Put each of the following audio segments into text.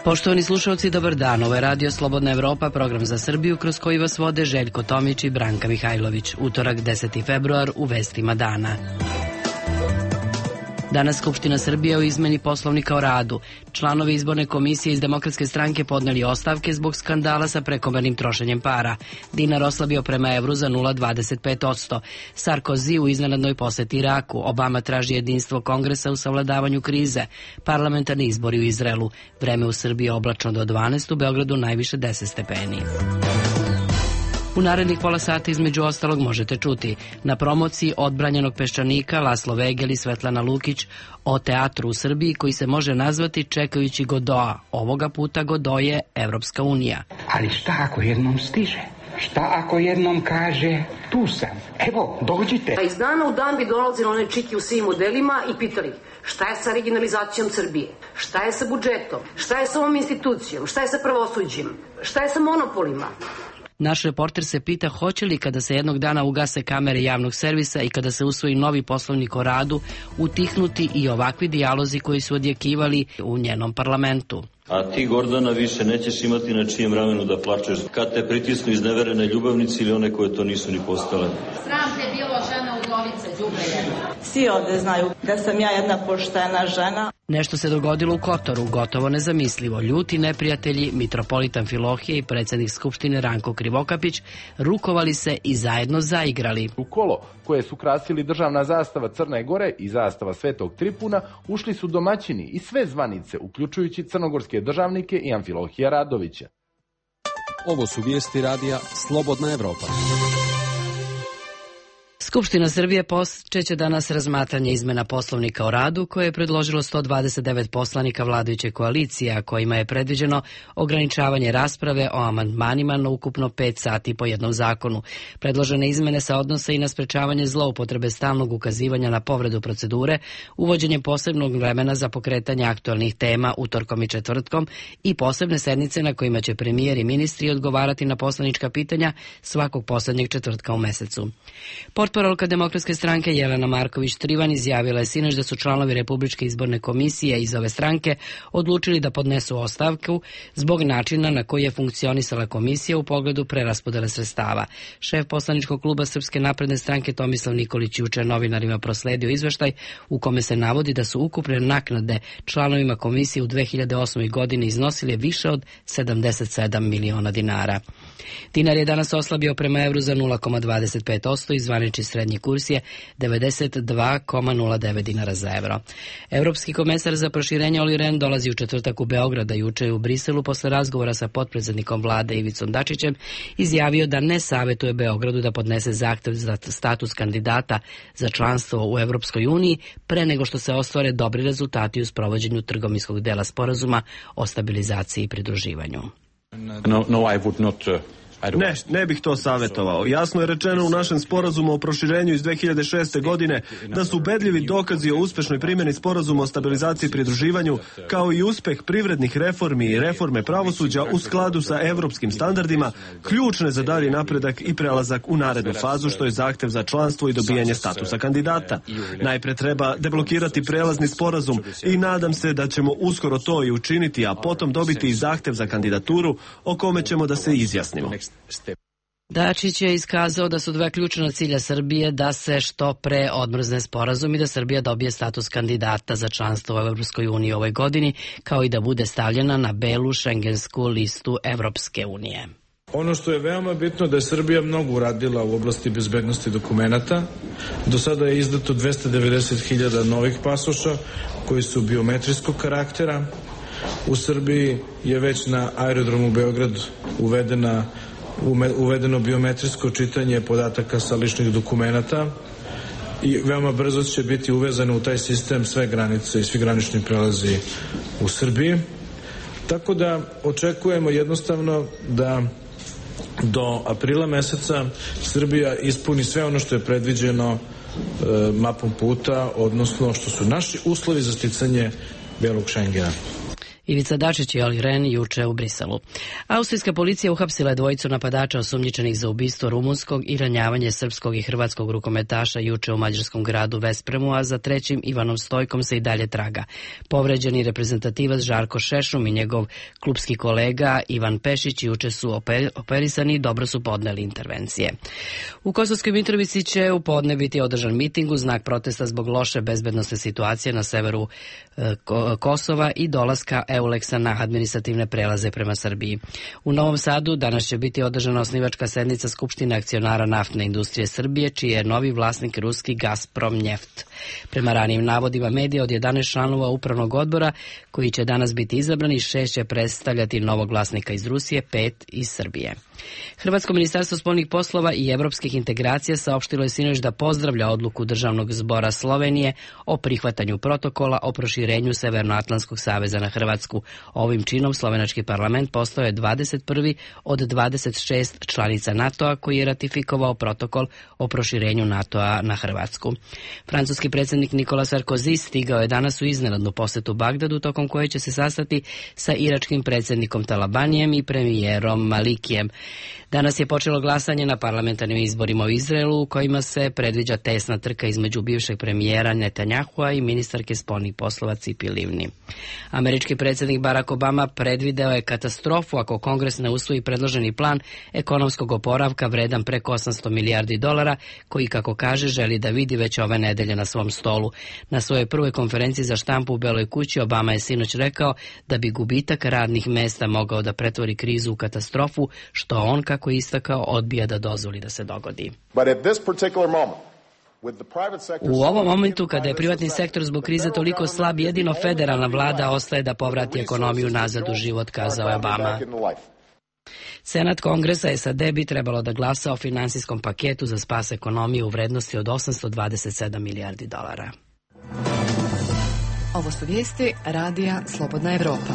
Poštovani slušalci, dobar dan. Ovo je Radio Slobodna Evropa, program za Srbiju kroz koji vas vode Željko Tomić i Branka Mihajlović. Utorak 10. februar u vestima dana. Danas Skupština Srbije o izmeni Poslovnika o radu. Članovi izborne komisije iz Demokratske stranke podneli ostavke zbog skandala sa prekomernim trošenjem para. Dinar oslabio prema evru za 0,25%. Sarkozy u iznenadnoj poseti Iraku. Obama traži jedinstvo Kongresa u savladavanju krize. Parlamentarni izbori u Izraelu. Vreme u Srbiji oblačno do 12, u Beogradu najviše 10 stepeni. U narednih pola sata između ostalog možete čuti na promociji odbranjenog peščanika Laslo Vegel i Svetlana Lukić o teatru u Srbiji koji se može nazvati Čekajući Godoa. Ovoga puta Godo je Evropska unija. Ali šta ako jednom stiže? Šta ako jednom kaže tu sam? Evo, dođite. A iz dana u dan bi dolazili one čiki u svim modelima i pitali šta je sa regionalizacijom Srbije, šta je sa budžetom, šta je sa ovom institucijom, šta je sa pravosuđem, šta je sa monopolima. Naš reporter se pita hoće li kada se jednog dana ugase kamere javnog servisa i kada se usvoji novi Poslovnik o radu utihnuti i ovakvi dijalozi koji su odjekivali u njenom parlamentu. A ti, Gordana, više nećeš imati na čijem ramenu da plačeš kad te pritisnu izneverene ljubavnici ili one koje to nisu ni postale. Sram te bilo, žena udovica, đubre jedna. Svi ovde znaju da sam ja jedna poštena žena. Nešto se dogodilo u Kotoru, gotovo nezamislivo. Ljuti neprijatelji, mitropolitan Filohije i predsjednik Skupštine Ranko Krivokapić rukovali se i zajedno zaigrali. U kolo koje su krasili državna zastava Crne Gore i zastava Svetog Tripuna ušli su domaćini i sve zvanice, uključujući crnogorske državnike i Amfilohija Radovića. Ovo su vijesti radija Slobodna Evropa. Skupština Srbije počeće danas razmatranje izmena Poslovnika o radu koje je predložilo 129 poslanika vladajuće koalicije, a kojima je predviđeno ograničavanje rasprave o amandmanima na ukupno 5 sati po jednom zakonu. Predložene izmene se odnose i na sprečavanje zloupotrebe stalnog ukazivanja na povredu procedure, uvođenje posebnog vremena za pokretanje aktualnih tema utorkom i četvrtkom i posebne sednice na kojima će premijer i ministri odgovarati na poslanička pitanja svakog poslednjeg četvrtka u mesecu. Portparolka Demokratske stranke Jelena Marković-Trivan izjavila je sinoć da su članovi Republičke izborne komisije iz ove stranke odlučili da podnesu ostavku zbog načina na koji je funkcionisala komisija u pogledu preraspodele sredstava. Šef poslaničkog kluba Srpske napredne stranke Tomislav Nikolić juče novinarima prosledio izveštaj u kome se navodi da su ukupne naknade članovima komisije u 2008. godini iznosile više od 77 miliona dinara. Dinar je danas oslabio prema evru za 0,25% i zvanični srednji kurs je 92,09 dinara za evro. Evropski komesar za proširenje Olli Rehn dolazi u četvrtak u Beograd, a juče u Briselu posle razgovora sa potpredsednikom vlade Ivicom Dačićem izjavio da ne savetuje Beogradu da podnese zahtev za status kandidata za članstvo u Evropskoj uniji pre nego što se ostvare dobri rezultati u sprovođenju trgovinskog dela sporazuma o stabilizaciji i pridruživanju. Ne bih to savjetovao. Jasno je rečeno u našem sporazumu o proširenju iz 2006. godine da su ubedljivi dokazi o uspešnoj primjeni sporazuma o stabilizaciji i pridruživanju, kao i uspeh privrednih reformi i reforme pravosuđa u skladu sa evropskim standardima, ključne za dalji napredak i prelazak u narednu fazu, što je zahtev za članstvo i dobijanje statusa kandidata. Najpre treba deblokirati prelazni sporazum i nadam se da ćemo uskoro to i učiniti, a potom dobiti i zahtev za kandidaturu o kome ćemo da se izjasnimo. Dačić je iskazao da su dva ključna cilja Srbije da se što pre odmrzne sporazum i da Srbija dobije status kandidata za članstvo u Evropskoj uniji ove godini, kao i da bude stavljena na belu šengensku listu Evropske unije. Ono što je veoma bitno da je Srbija mnogo uradila u oblasti bezbednosti dokumenata. Do sada je izdato 290.000 novih pasoša koji su biometrijskog karaktera. U Srbiji je već na aerodromu Beograd uvedeno biometrijsko čitanje podataka sa ličnih dokumenata i veoma brzo će biti uvezano u taj sistem sve granice i svi granični prelazi u Srbiji. Tako da očekujemo jednostavno da do aprila meseca Srbija ispuni sve ono što je predviđeno mapom puta, odnosno što su naši uslovi za sticanje belog Šengena. Ivica Dačić i Oli Rehn juče u Briselu. Austrijska policija uhapsila je dvojicu napadača osumnjičenih za ubistvo rumunskog i ranjavanje srpskog i hrvatskog rukometaša juče u mađarskom gradu Vespremu, a za trećim Ivanom Stojkom se i dalje traga. Povređeni reprezentativac Žarko Šešum i njegov klubski kolega Ivan Pešić juče su operisani i dobro su podneli intervencije. U Kosovskoj Mitrovici će u podne biti održan miting u znak protesta zbog loše bezbednosne situacije na severu Kosova i dolaska EULEX-a na administrativne prelaze prema Srbiji. U Novom Sadu danas će biti održana osnivačka sednica Skupštine akcionara naftne industrije Srbije, čiji je novi vlasnik ruski Gazprom Njeft. Prema ranijim navodima medija, od 11 članova upravnog odbora koji će danas biti izabrani, 6 će predstavljati novog vlasnika iz Rusije, 5 iz Srbije. Hrvatsko ministarstvo spoljnih poslova i evropskih integracija saopštilo je sinoć da pozdravlja odluku Državnog zbora Slovenije o prihvatanju protokola o proširenju Severnoatlantskog saveza na Hrvatsku. Ovim činom slovenački parlament postao je 21. od 26 članica NATO-a koji je ratifikovao protokol o proširenju NATO-a na Hrvatsku. Francuski predsjednik Nicolas Sarkozy stigao je danas u iznenadnu posetu Bagdadu, tokom koje će se sastati sa iračkim predsjednikom Talabanijem i premijerom Malikijem. Danas je počelo glasanje na parlamentarnim izborima u Izraelu, u kojima se predviđa tesna trka između bivšeg premijera Netanjahua i ministarke spoljnih poslova Cipi Livni. Američki predsjednik Barack Obama predvideo je katastrofu ako Kongres ne usvoji predloženi plan ekonomskog oporavka vredan preko $800 milijardi, koji, kako kaže, želi da vidi već ove nedelje na svom stolu. Na svojoj prvoj konferenciji za štampu u Beloj kući Obama je sinoć rekao da bi gubitak radnih mesta mogao da pretvori krizu u katastrofu, što on, kako je istakao, odbija da dozvoli da se dogodi. U ovom momentu, kada je privatni sektor zbog krize toliko slab, jedino federalna vlada ostaje da povrati ekonomiju nazad u život, kazao je Obama. Senat Kongresa SAD bi trebalo da glasa o finansijskom paketu za spas ekonomije u vrednosti od $827 milijardi. Ovo su vijesti Radija Slobodna Evropa.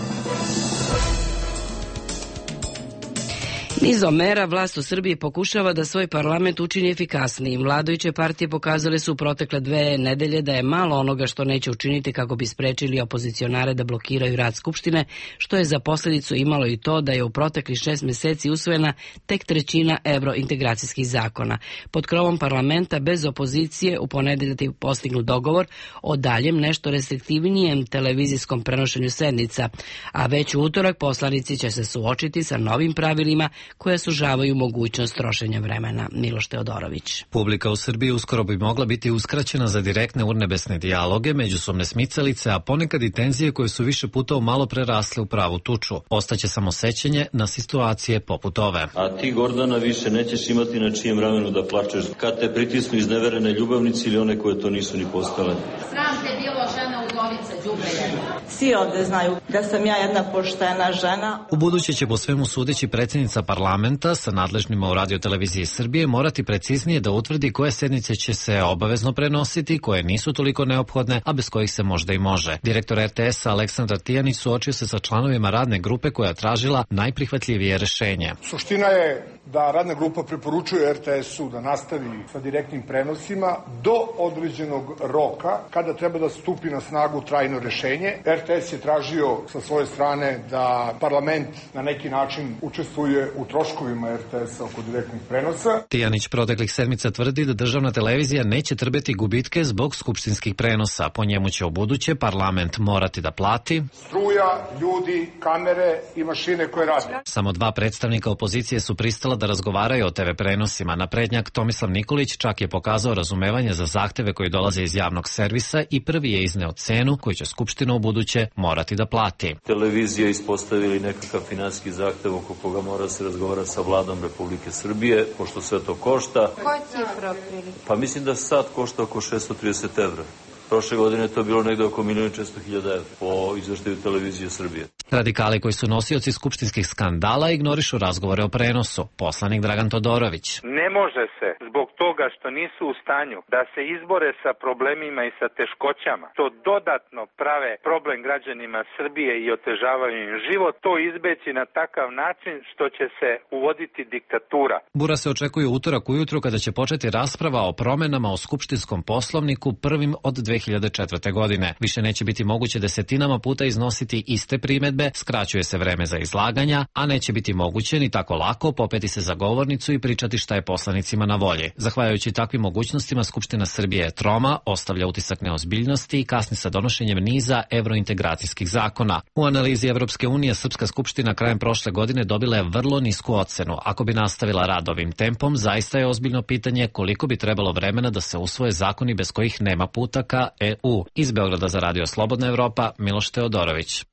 Nizom mera vlast u Srbiji pokušava da svoj parlament učini efikasnijim. Vladajuće partije pokazale su u protekle 2 nedelje da je malo onoga što neće učiniti kako bi sprečili opozicionare da blokiraju rad Skupštine, što je za posljedicu imalo i to da je u proteklih 6 mjeseci usvojena tek 1/3 evrointegracijskih zakona. Pod krovom parlamenta bez opozicije u ponedeljak je postignut dogovor o daljem nešto restriktivnijem televizijskom prenošenju sednica, a već u utorak poslanici će se suočiti sa novim pravilima koja sužavaju mogućnost trošenja vremena. Miloš Teodorović. Publika u Srbiji uskoro bi mogla biti uskraćena za direktne urnebesne dijaloge, međusobne smicalice, a ponekad i tenzije koje su više puta malo prerasle u pravu tuču. Ostaće samo sećanje na situacije poput ove. A ti, Gordana, više nećeš imati na čijem ramenu da plačeš kad te pritisnu izneverene ljubavnici ili one koje to nisu ni postale. Sram te bilo, žena udovica, đubre jedna. Svi ovde znaju da sam ja jedna poštena žena. U buduće će po svemu sudeći predsjednica parlamenta sa nadležnima u Radio-televiziji Srbije morati preciznije da utvrdi koje sednice će se obavezno prenositi, koje nisu toliko neophodne, a bez kojih se možda i može. Direktor RTS-a Aleksandar Tijanić suočio se sa članovima radne grupe koja je tražila najprihvatljivije rešenje. Suština je da radna grupa preporučuje RTS-u da nastavi sa direktnim prenosima do određenog roka kada treba da stupi na snagu trajno rešenje. RTS je tražio sa svoje strane da parlament na neki način učestvuje u troškovima RTS-a oko direktnih prenosa. Tijanić proteklih sedmica tvrdi da državna televizija neće trpeti gubitke zbog skupštinskih prenosa. Po njemu će ubuduće parlament morati da plati struja, ljudi, kamere i mašine koje rade. Samo 2 predstavnika opozicije su pristala da razgovaraju o TV prenosima. Naprednjak Tomislav Nikolić čak je pokazao razumevanje za zahteve koji dolaze iz javnog servisa i prvi je izneo cenu koju će Skupština ubuduće morati da plati. Televizija ispostavili nekakav finansijski zahtev oko koga mora se razgovara sa vladom Republike Srbije, pošto sve to košta. Koja cifra otprilike? Pa mislim da sad košta oko 630 evra. Prošle godine to je bilo negde oko 1.400.000 evra po izveštaju Televizije Srbije. Radikali koji su nosioci skupštinskih skandala ignorišu razgovore o prenosu. Poslanik Dragan Todorović. Ne može se zbog toga što nisu u stanju da se izbore sa problemima i sa teškoćama, to dodatno prave problem građanima Srbije i otežavaju im život, to izbeći na takav način što će se uvoditi diktatura. Bura se očekuje utorak ujutru kada će početi rasprava o promenama o skupštinskom poslovniku prvim od 2019. 2004. godine. Više neće biti moguće desetinama puta iznositi iste primedbe, skraćuje se vreme za izlaganja, a neće biti moguće ni tako lako popeti se za govornicu i pričati šta je poslanicima na volji. Zahvaljujući takvim mogućnostima, Skupština Srbije je troma, ostavlja utisak neozbiljnosti i kasni sa donošenjem niza evrointegracijskih zakona. U analizi Evropske unije, Srpska skupština krajem prošle godine dobila je vrlo nisku ocenu. Ako bi nastavila rad ovim tempom, zaista je ozbiljno pitanje koliko bi trebalo vremena da se usvoje zakoni bez kojih nema puta ka EU. Iz Beograda za Radio Slobodna Evropa, Miloš Teodorović.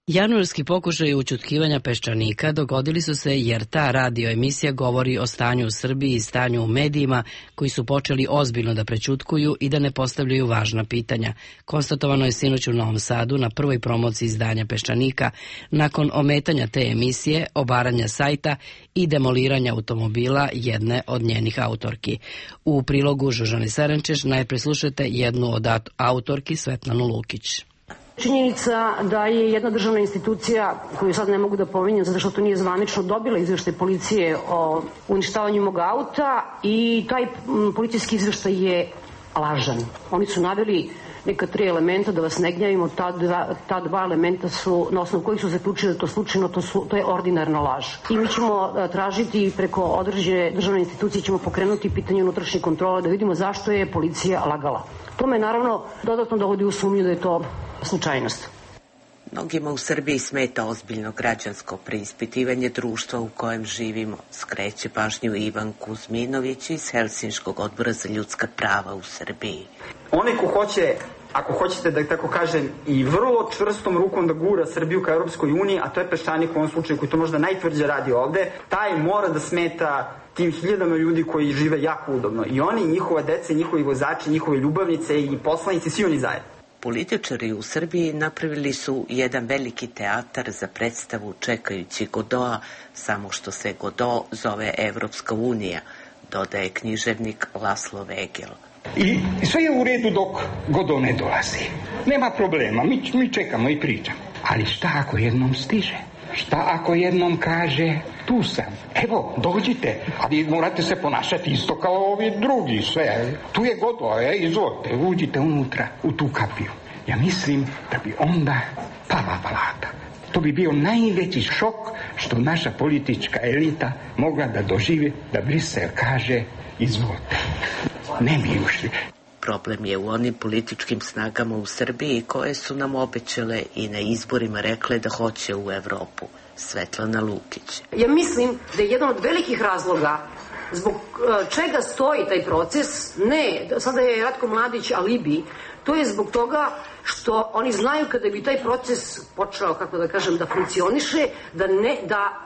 Januarski pokušaj ućutkivanja peščanika dogodili su se jer ta radio emisija govori o stanju u Srbiji i stanju u medijima koji su počeli ozbiljno da prećutkuju i da ne postavljaju važna pitanja. Konstatovano je sinoć u Novom Sadu na prvoj promociji izdanja Peščanika nakon ometanja te emisije, obaranja sajta i demoliranja automobila jedne od njenih autorki. U prilogu Žužane Serenčeš najpre slušajte jednu od autorki, Svetlanu Lukić. Činjenica da je jedna državna institucija, koju sad ne mogu da pominjem zato što to nije zvanično, dobila izveštaj policije o uništavanju mog auta i taj policijski izveštaj je lažan. Oni su naveli neka 3 elementa, da vas ne gnjavimo, ta 2 elementa su, na osnovu kojih su zaključili da to slučajno, to je ordinarna laž. I mi ćemo tražiti preko određene državne institucije, ćemo pokrenuti pitanje unutrašnje kontrole da vidimo zašto je policija lagala. To me naravno dodatno dovodi u sumnju da je to slučajnost. Mnogima u Srbiji smeta ozbiljno građansko preispitivanje društva u kojem živimo, skreće pažnju Ivan Kuzminović iz Helsinškog odbora za ljudska prava u Srbiji. Onaj ko hoće, ako hoćete da tako kažem, i vrlo čvrstom rukom da gura Srbiju ka Europskoj uniji, a to je Peščanik u ovom slučaju koji to možda najtvrđe radi ovde, taj mora da smeta tim hiljadama ljudi koji žive jako udobno. I oni, njihova deca, njihovi vozači, njihove ljubavnice i poslanici, svi oni zajedno. Političari u Srbiji napravili su jedan veliki teatar za predstavu čekajući Godoa, samo što se Godo zove Evropska unija, dodaje književnik Laslo Vegel. I sve je u redu dok Godo ne dolazi. Nema problema, mi čekamo i pričamo. Ali šta ako jednom stiže? Šta ako jednom kaže tu sam? Evo, dođite, ali morate se ponašati isto kao ovi drugi, sve. Tu je Godo, izvolite, uđite unutra u tu kapiju. Ja mislim da bi onda pala balada. To bi bio najveći šok što naša politička elita mogla da doživi da Brisel kaže izvolite. Ne bi ušli. Problem je u onim političkim snagama u Srbiji koje su nam obećale i na izborima rekle da hoće u Evropu. Svetlana Lukić. Ja mislim da je jedan od velikih razloga zbog čega stoji taj proces, ne, sada je Ratko Mladić alibi, to je zbog toga što oni znaju kada bi taj proces počeo, kako da kažem, da funkcioniše,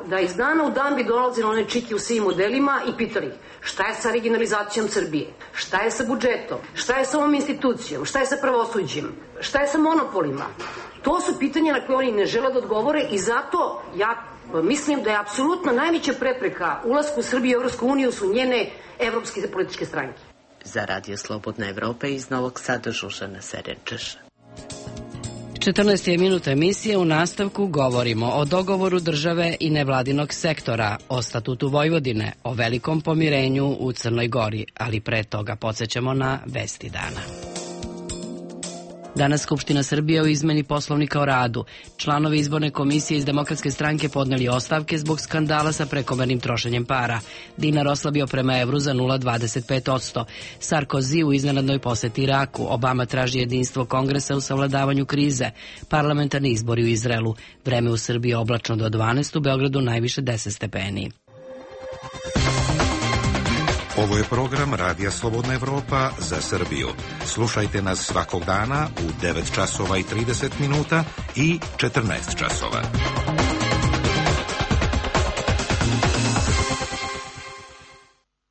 da iz dana u dan bi dolazili one čiki u svim modelima i pitali šta je sa regionalizacijom Srbije, šta je sa budžetom, šta je sa ovom institucijom, šta je sa pravosuđem, šta je sa monopolima. To su pitanja na koje oni ne žele da odgovore i zato ja mislim da je apsolutno najveća prepreka ulasku Srbije u Evropsku uniju su njene evropske političke stranke. Za Radio Slobodna Evropa iz Novog Sada Žužana Serenčeš. 14 je minuta emisije, u nastavku govorimo o dogovoru države i nevladinog sektora, o statutu Vojvodine, o velikom pomirenju u Crnoj Gori, ali pre toga podsjećamo na vesti dana. Danas Skupština Srbije o izmeni Poslovnika o radu. Članovi izborne komisije iz Demokratske stranke podneli ostavke zbog skandala sa prekomernim trošenjem para. Dinar oslabio prema evru za 0,25%. Sarkozy u iznenadnoj poseti Iraku. Obama traži jedinstvo Kongresa u savladavanju krize. Parlamentarni izbori u Izraelu. Vreme u Srbiji oblačno do 12, u Beogradu najviše 10 stepeni. Ovo je program Radija Slobodna Evropa za Srbiju. Slušajte nas svakog dana u 9 časova i 30 minuta i 14 časova.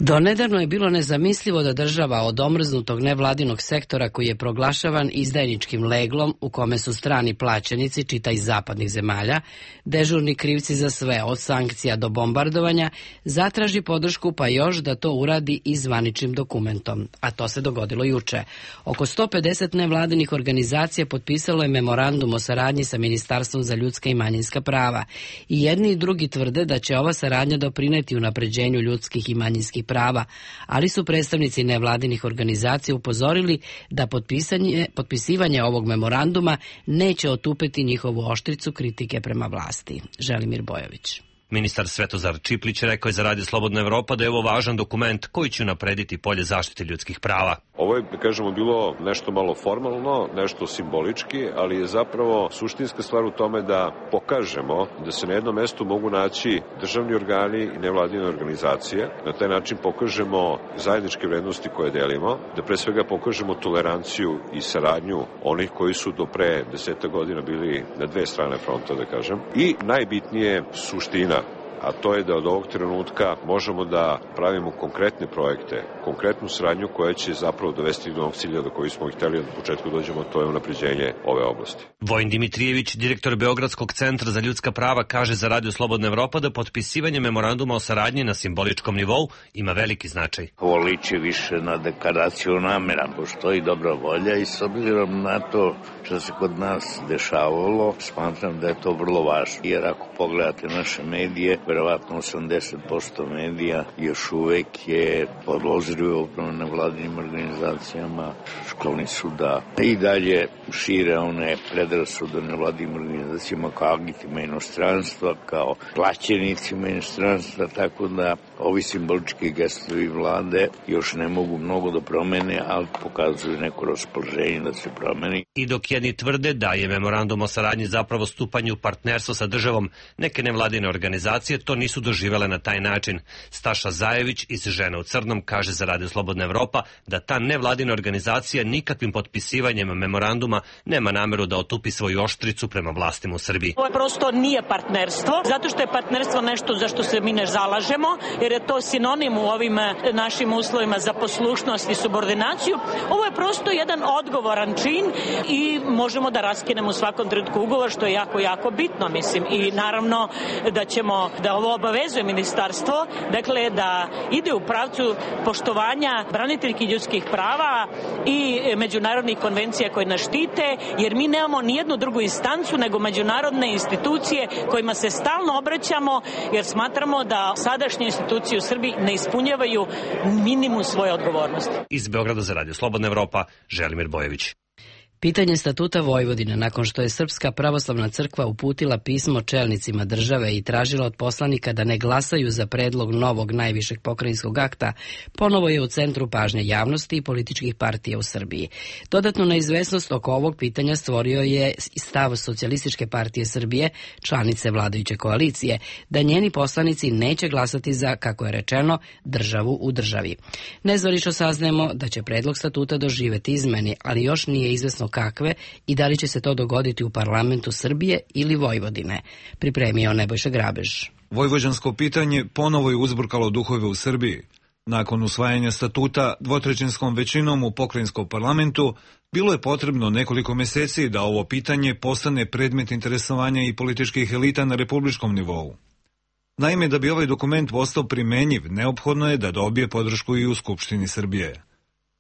Donedavno je bilo nezamislivo da država od omrznutog nevladinog sektora koji je proglašavan izdajničkim leglom u kome su strani plaćenici, čita iz zapadnih zemalja, dežurni krivci za sve, od sankcija do bombardovanja, zatraži podršku pa još da to uradi i zvaničnim dokumentom. A to se dogodilo juče. Oko 150 nevladinih organizacija potpisalo je memorandum o saradnji sa Ministarstvom za ljudska i manjinska prava. I jedni i drugi tvrde da će ova saradnja doprineti unapređenju ljudskih i manjinskih prava, ali su predstavnici nevladinih organizacija upozorili da potpisivanje ovog memoranduma neće otupeti njihovu oštricu kritike prema vlasti. Želimir Bojović. Ministar Svetozar Čiplić rekao je za Radio Slobodna Evropa da je ovo važan dokument koji će naprediti polje zaštite ljudskih prava. Ovo je, kažemo, bilo nešto malo formalno, nešto simbolički, ali je zapravo suštinska stvar u tome da pokažemo da se na jednom mestu mogu naći državni organi i nevladine organizacije. Na taj način pokažemo zajedničke vrednosti koje delimo, da pre svega pokažemo toleranciju i saradnju onih koji su do pre 10 godina bili na dve strane fronta, da kažem. I najbitnije suština, a to je da od ovog trenutka možemo da pravimo konkretne projekte, konkretnu saradnju koja će zapravo dovesti do onog cilja do koji smo hteli od početka dođemo, to je unapređenje ove oblasti. Vojin Dimitrijević, direktor Beogradskog centra za ljudska prava, kaže za Radio Slobodna Evropa da potpisivanje memoranduma o saradnji na simboličkom nivou ima veliki značaj. Ovo liči više na deklaraciju namera, postoji dobra volja i s obzirom na to što se kod nas dešavalo, smatram da je to vrlo važno. Jer ako pogledate naše medije, verovatno 80% medija još uvek je podložljivo upravo nevladinim organizacijama, skloni su da i dalje šire one predrasude nevladinim organizacijama kao agentima inostranstva, kao plaćenicima inostranstva, tako da ovi simbolički gestovi vlade još ne mogu mnogo da promene, ali pokazuju neko raspoloženje da se promeni. I dok jedni tvrde da je memorandum o saradnji zapravo stupanje u partnerstvo sa državom, neke nevladine organizacije to nisu doživele na taj način. Staša Zajević iz Žena u crnom kaže za Radio Slobodna Evropa da ta nevladina organizacija nikakvim potpisivanjem memoranduma nema nameru da otupi svoju oštricu prema vlastima u Srbiji. Ovo prosto nije partnerstvo, zato što je partnerstvo nešto za što se mi ne zalažemo, jer je to sinonim u ovim našim uslovima za poslušnost i subordinaciju. Ovo je prosto jedan odgovoran čin i možemo da raskinemo u svakom trenutku ugovor, što je jako bitno, mislim. I naravno da ćemo, da ovo obavezuje ministarstvo, dakle da ide u pravcu poštovanja braniteljskih ljudskih prava i međunarodnih konvencija koje nas štite, jer mi nemamo nijednu drugu instancu nego međunarodne institucije kojima se stalno obraćamo, jer smatramo da sadašnje institucije u Srbiji ne ispunjavaju minimum svoje odgovornosti. Iz Beograda za Radio Slobodna Evropa, Želimir Bojević. Pitanje statuta Vojvodine nakon što je Srpska pravoslavna crkva uputila pismo čelnicima države i tražila od poslanika da ne glasaju za predlog novog najvišeg pokrajinskog akta, ponovo je u centru pažnje javnosti i političkih partija u Srbiji. Dodatnu neizvesnost oko ovog pitanja stvorio je stav Socijalističke partije Srbije, članice vladajuće koalicije, da njeni poslanici neće glasati za, kako je rečeno, državu u državi. Nezvanično saznajemo da će predlog statuta doživeti izmeni, ali još nije izvesno kakve i da li će se to dogoditi u parlamentu Srbije ili Vojvodine, pripremio Nebojša Grabež. Vojvođansko pitanje ponovo je uzburkalo duhove u Srbiji. Nakon usvajanja statuta dvotrećinskom većinom u pokrajinskom parlamentu, bilo je potrebno nekoliko meseci da ovo pitanje postane predmet interesovanja i političkih elita na republičkom nivou. Naime, da bi ovaj dokument postao primenjiv, neophodno je da dobije podršku i u Skupštini Srbije.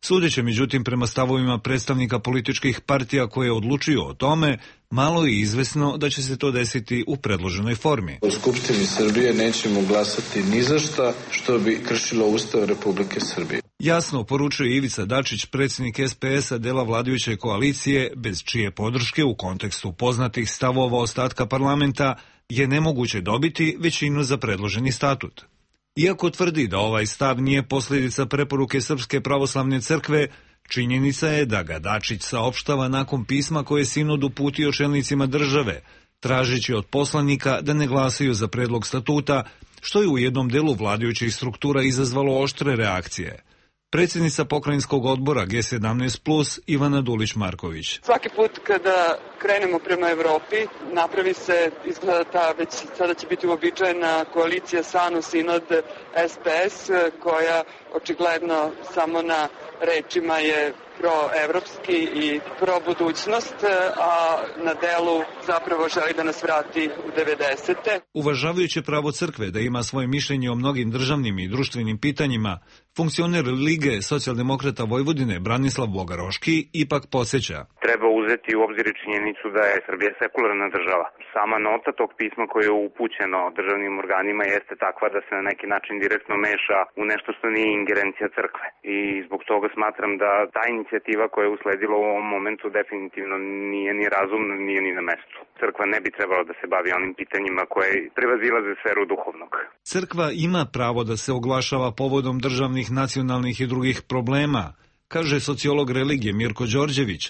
Sudeće, međutim, prema stavovima predstavnika političkih partija koje odlučuju o tome, malo je izvesno da će se to desiti u predloženoj formi. U Skupštini Srbije nećemo glasati ni za šta što bi kršilo Ustav Republike Srbije. Jasno poručuje Ivica Dačić, predsjednik SPS-a dela vladajuće koalicije, bez čije podrške u kontekstu poznatih stavova ostatka parlamenta je nemoguće dobiti većinu za predloženi statut. Iako tvrdi da ovaj stav nije posljedica preporuke Srpske pravoslavne crkve, činjenica je da ga Dačić saopštava nakon pisma koje je sinod uputio čelnicima države, tražeći od poslanika da ne glasaju za predlog statuta, što je u jednom delu vladajućih struktura izazvalo oštre reakcije. Predsjednica pokrajinskog odbora G17+, Ivana Dulić-Marković. Svaki put kada krenemo prema Evropi, napravi se, izgleda ta već sada će biti uobičajena koalicija SANU, Sinod, SPS, koja očigledno samo na rečima je proevropski i probudućnost, a na delu zapravo želi da nas vrati u 90. Uvažavajući pravo crkve da ima svoje mišljenje o mnogim državnim i društvenim pitanjima, funkcioner Lige socijaldemokrata Vojvodine Branislav Bogaroški ipak podsjeća. Treba uzeti u obzir činjenicu da je Srbija sekularna država. Sama nota tog pisma koje je upućeno državnim organima jeste takva da se na neki način direktno meša u nešto što nije ingerencija crkve. I zbog toga smatram da ta inicijativa koja je usledila u ovom momentu definitivno nije ni razumna, nije ni na mestu. Crkva ne bi trebala da se bavi onim pitanjima koje prevazilaze sferu duhovnog. Crkva ima pravo da se oglašava povodom državnih, nacionalnih i drugih problema, kaže sociolog religije Mirko Đorđević,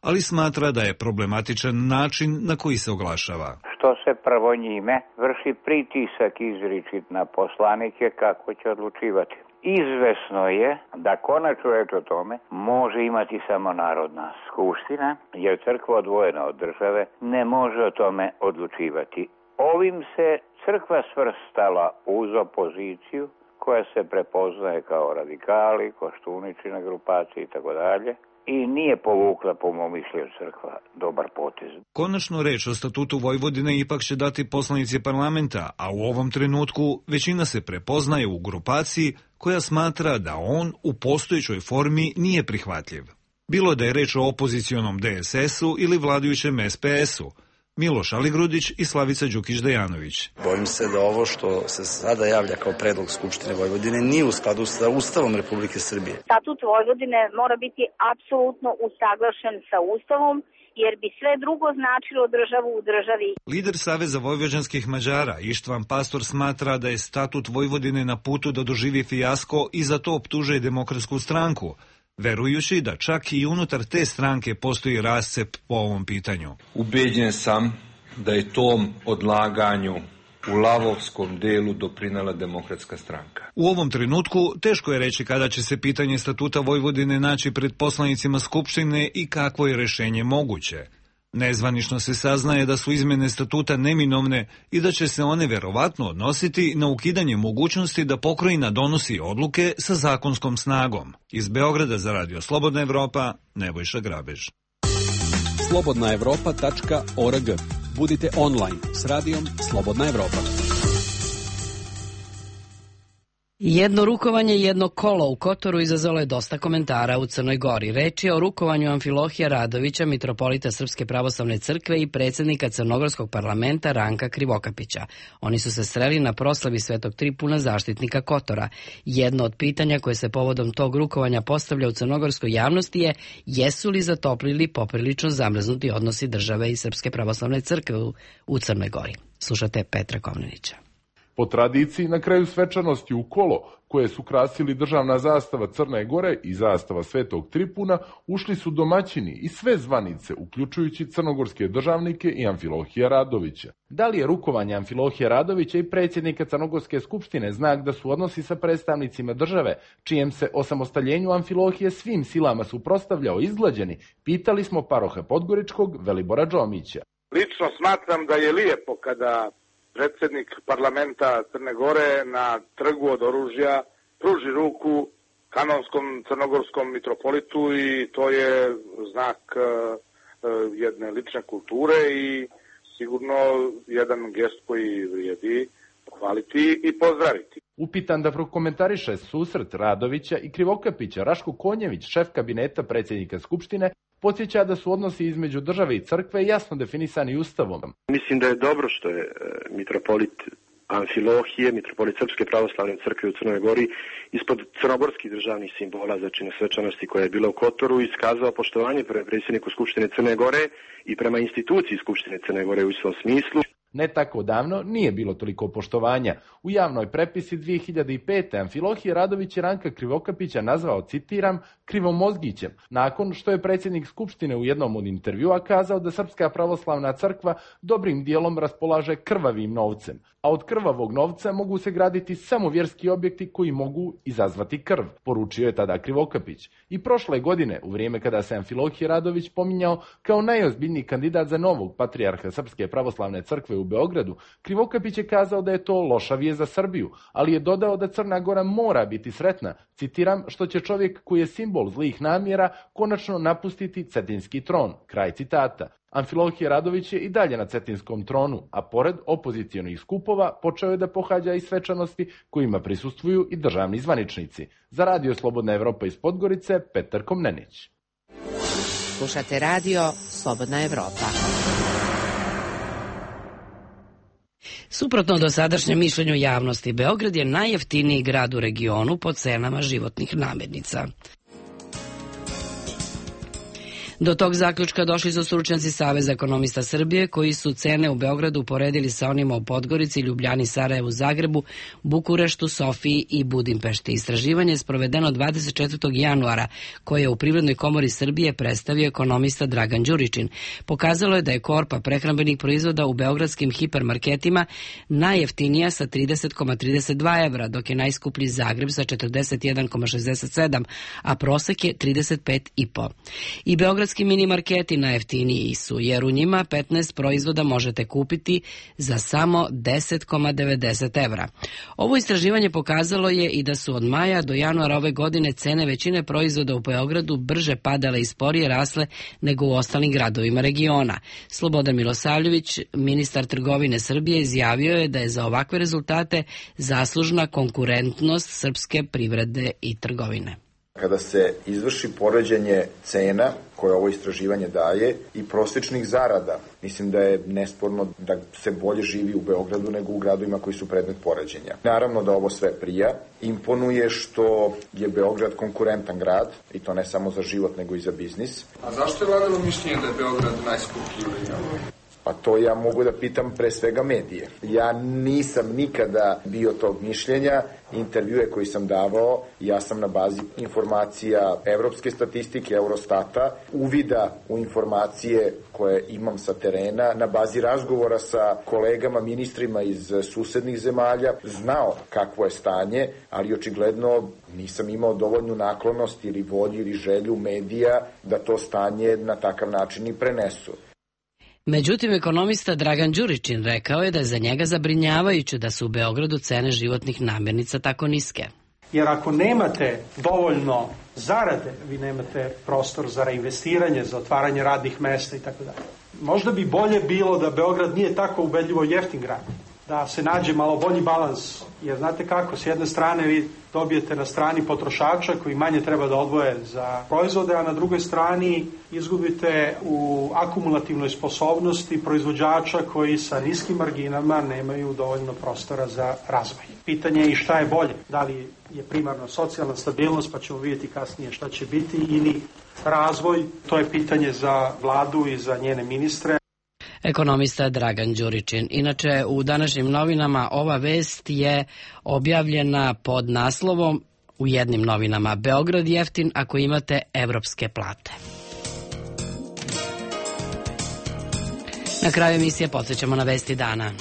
ali smatra da je problematičan način na koji se oglašava. Što se prvo njime vrši pritisak izričit na poslanike kako će odlučivati. Izvesno je da konačnu reč o tome može imati samo Narodna skupština, jer crkva odvojena od države ne može o tome odlučivati. Ovim se crkva svrstala uz opoziciju koja se prepoznaje kao radikali, Koštuničina grupacija i tako dalje. I nije povukla, po mom mišljenju, crkva dobar potez. Konačnu reč o statutu Vojvodine ipak će dati poslanici parlamenta, a u ovom trenutku većina se prepoznaje u grupaciji koja smatra da on u postojećoj formi nije prihvatljiv. Bilo da je reč o opozicionom DSS-u ili vladajućem SPS-u, Miloš Aligrudić i Slavica Đukić-Dejanović. Bojim se da ovo što se sada javlja kao predlog Skupštine Vojvodine nije u skladu sa Ustavom Republike Srbije. Statut Vojvodine mora biti apsolutno usaglašen sa Ustavom, jer bi sve drugo značilo državu u državi. Lider Saveza vojvođanskih Mađara Ištvan Pastor smatra da je statut Vojvodine na putu da doživi fijasko i za to optužuje Demokratsku stranku, verujući da čak i unutar te stranke postoji rascep po ovom pitanju. Ubeđen sam da je tom odlaganju u lavovskom delu doprinela Demokratska stranka. U ovom trenutku teško je reći kada će se pitanje statuta Vojvodine naći pred poslanicima Skupštine i kakvo je rešenje moguće. Nezvanično se saznaje da su izmene statuta neminovne i da će se one verovatno odnositi na ukidanje mogućnosti da pokrajina donosi odluke sa zakonskom snagom. Iz Beograda za Radio Slobodna Evropa, Nebojša Grabež. slobodnaevropa.org. Budite online s radijom Slobodna Evropa. Jedno rukovanje i jedno kolo u Kotoru izazvalo je dosta komentara u Crnoj Gori. Reč je o rukovanju Amfilohija Radovića, mitropolita Srpske pravoslavne crkve i predsjednika Crnogorskog parlamenta Ranka Krivokapića. Oni su se sreli na proslavi Svetog Tripuna, zaštitnika Kotora. Jedno od pitanja koje se povodom tog rukovanja postavlja u crnogorskoj javnosti je jesu li zatoplili poprilično zamrznuti odnosi države i Srpske pravoslavne crkve u Crnoj Gori. Slušate Petra Kovnenića. Po tradiciji, na kraju svečanosti u kolo, koje su krasili državna zastava Crne Gore i zastava Svetog Tripuna, ušli su domaćini i sve zvanice, uključujući crnogorske državnike i Amfilohija Radovića. Da li je rukovanje Amfilohija Radovića i predsjednika Crnogorske skupštine znak da su odnosi sa predstavnicima države, čijem se osamostaljenju Amfilohije svim silama suprotstavljao izglađeni, pitali smo paroha Podgoričkog Velibora Džomića. Lično smatram da je lijepo kada predsjednik parlamenta Crne Gore na trgu od oružja pruži ruku kanonskom crnogorskom mitropolitu i to je znak jedne lične kulture i sigurno jedan gest koji vrijedi pohvaliti i pozdraviti. Upitan da prokomentariše susret Radovića i Krivokapića, Raško Konjević, šef kabineta predsjednika Skupštine, podsjeća da su odnosi između države i crkve jasno definisani Ustavom. Mislim da je dobro što je mitropolit Amfilohije, mitropolit Srpske pravoslavne crkve u Crnoj Gori, ispod crnogorskih državnih simbola, znači na svečanosti koja je bila u Kotoru, iskazao poštovanje prema predsjedniku Skupštine Crne Gore i prema instituciji Skupštine Crne Gore u svom smislu. Ne tako davno nije bilo toliko poštovanja. U javnoj prepisi 2005. Amfilohije Radović je Ranka Krivokapića nazvao, citiram, krivomozgićem, nakon što je predsjednik Skupštine u jednom od intervjua kazao da Srpska pravoslavna crkva dobrim dijelom raspolaže krvavim novcem, a od krvavog novca mogu se graditi samo vjerski objekti koji mogu izazvati krv, poručio je tada Krivokapić. I prošle godine, u vrijeme kada se Amfilohije Radović pominjao kao najozbiljniji kandidat za novog patrijarha Srpske pravoslavne crkve u Beogradu, Krivokapić je kazao da je to loša vijest za Srbiju, ali je dodao da Crna Gora mora biti sretna, citiram, što će čovjek koji je simbol zlih namjera konačno napustiti cetinski tron, kraj citata. Amfilohije Radović je i dalje na cetinskom tronu, a pored opozicijonih skupova počeo je da pohađa i svečanosti kojima prisustvuju i državni zvaničnici. Za Radio Slobodna Evropa iz Podgorice, Petar Komnenić. Slušate Radio Slobodna Evropa. Suprotno dosadašnjem mišljenju javnosti, Beograd je najjeftiniji grad u regionu po cenama životnih namirnica. Do tog zaključka došli su stručnjaci Saveza ekonomista Srbije, koji su cene u Beogradu uporedili sa onima u Podgorici, Ljubljani, Sarajevu, Zagrebu, Bukureštu, Sofiji i Budimpešti. Istraživanje je sprovedeno 24. januara, koje je u Privrednoj komori Srbije predstavio ekonomista Dragan Đuričin. Pokazalo je da je korpa prehrambenih proizvoda u beogradskim hipermarketima najjeftinija sa 30,32 evra, dok je najskuplji Zagreb sa 41,67, a prosek je 35,5. I beogradski mini marketi najjeftiniji su, jer u njima 15 proizvoda možete kupiti za samo 10,90 evra. Ovo istraživanje pokazalo je i da su od maja do januara ove godine cene većine proizvoda u Beogradu brže padale i sporije rasle nego u ostalim gradovima regiona. Slobodan Milosavljević, ministar trgovine Srbije, izjavio je da je za ovakve rezultate zaslužna konkurentnost srpske privrede i trgovine. Kada se izvrši poređenje cena koje ovo istraživanje daje i prosječnih zarada, mislim da je nesporno da se bolje živi u Beogradu nego u gradovima koji su predmet poređenja. Naravno da ovo sve prija. Imponuje što je Beograd konkurentan grad, i to ne samo za život nego i za biznis. A zašto je vladalo mišljenje da je Beograd najskuplji u regionu? Pa to ja mogu da pitam pre svega medije. Ja nisam nikada bio tog mišljenja. Intervjue koji sam davao, ja sam na bazi informacija evropske statistike, Eurostata, uvida u informacije koje imam sa terena, na bazi razgovora sa kolegama, ministrima iz susednih zemalja, znao kakvo je stanje, ali očigledno nisam imao dovoljnu naklonost ili volju ili želju medija da to stanje na takav način i prenesu. Međutim, ekonomista Dragan Đuričin rekao je da je za njega zabrinjavajuće da su u Beogradu cene životnih namirnica tako niske. Jer ako nemate dovoljno zarade, vi nemate prostor za reinvestiranje, za otvaranje radnih mesta i tako dalje. Možda bi bolje bilo da Beograd nije tako ubedljivo jeftin grad, da se nađe malo bolji balans, jer znate kako, s jedne strane vi dobijete na strani potrošača koji manje treba da odvoje za proizvode, a na drugoj strani izgubite u akumulativnoj sposobnosti proizvođača koji sa niskim marginama nemaju dovoljno prostora za razvoj. Pitanje je i šta je bolje, da li je primarno socijalna stabilnost, pa ćemo vidjeti kasnije šta će biti, ili razvoj, to je pitanje za vladu i za njene ministre. Ekonomista Dragan Đuričin. Inače, u današnjim novinama ova vest je objavljena pod naslovom u jednim novinama: Beograd jeftin ako imate evropske plate. Na kraju emisije podsjećamo na vesti dana.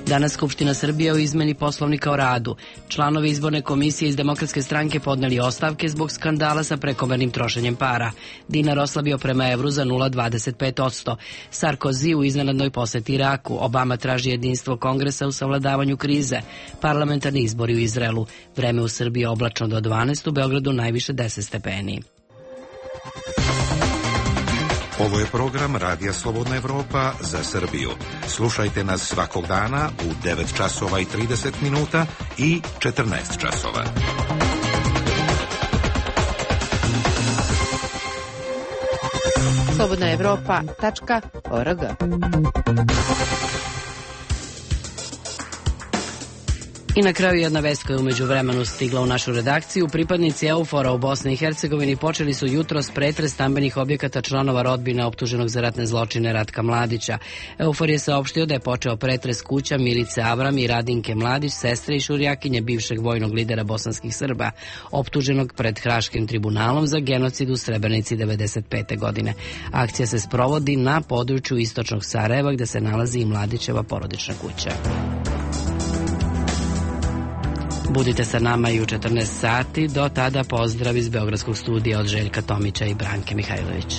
Danas Skupština Srbije o izmeni Poslovnika o radu. Članovi izborne komisije iz Demokratske stranke podneli ostavke zbog skandala sa prekomernim trošenjem para. Dinar oslabio prema evru za 0,25%. Sarkozy u iznenadnoj poseti Iraku. Obama traži jedinstvo Kongresa u savladavanju krize. Parlamentarni izbori u Izraelu. Vreme u Srbiji oblačno do 12, u Beogradu najviše 10 stepeni. Ovo je program Radija Slobodna Evropa za Srbiju. Slušajte nas svakog dana u 9 časova i 30 minuta i 14 časova. slobodnaevropa.org. I na kraju jedna vest koja je umeđu vremenu stigla u našu redakciju. Pripadnici EUFOR-a u Bosni i Hercegovini počeli su jutros pretres stambenih objekata članova rodbine optuženog za ratne zločine Ratka Mladića. EUFOR je saopštio da je počeo pretres kuća Milice Avram i Radinke Mladić, sestre i šurjakinje bivšeg vojnog lidera bosanskih Srba, optuženog pred Haškim tribunalom za genocid u Srebrenici 1995. godine. Akcija se sprovodi na području istočnog Sarajeva, gde se nalazi i Mladićeva porodična kuća. Budite sa nama i u 14 sati. Do tada pozdrav iz Beogradskog studija od Željka Tomića i Branke Mihajlović.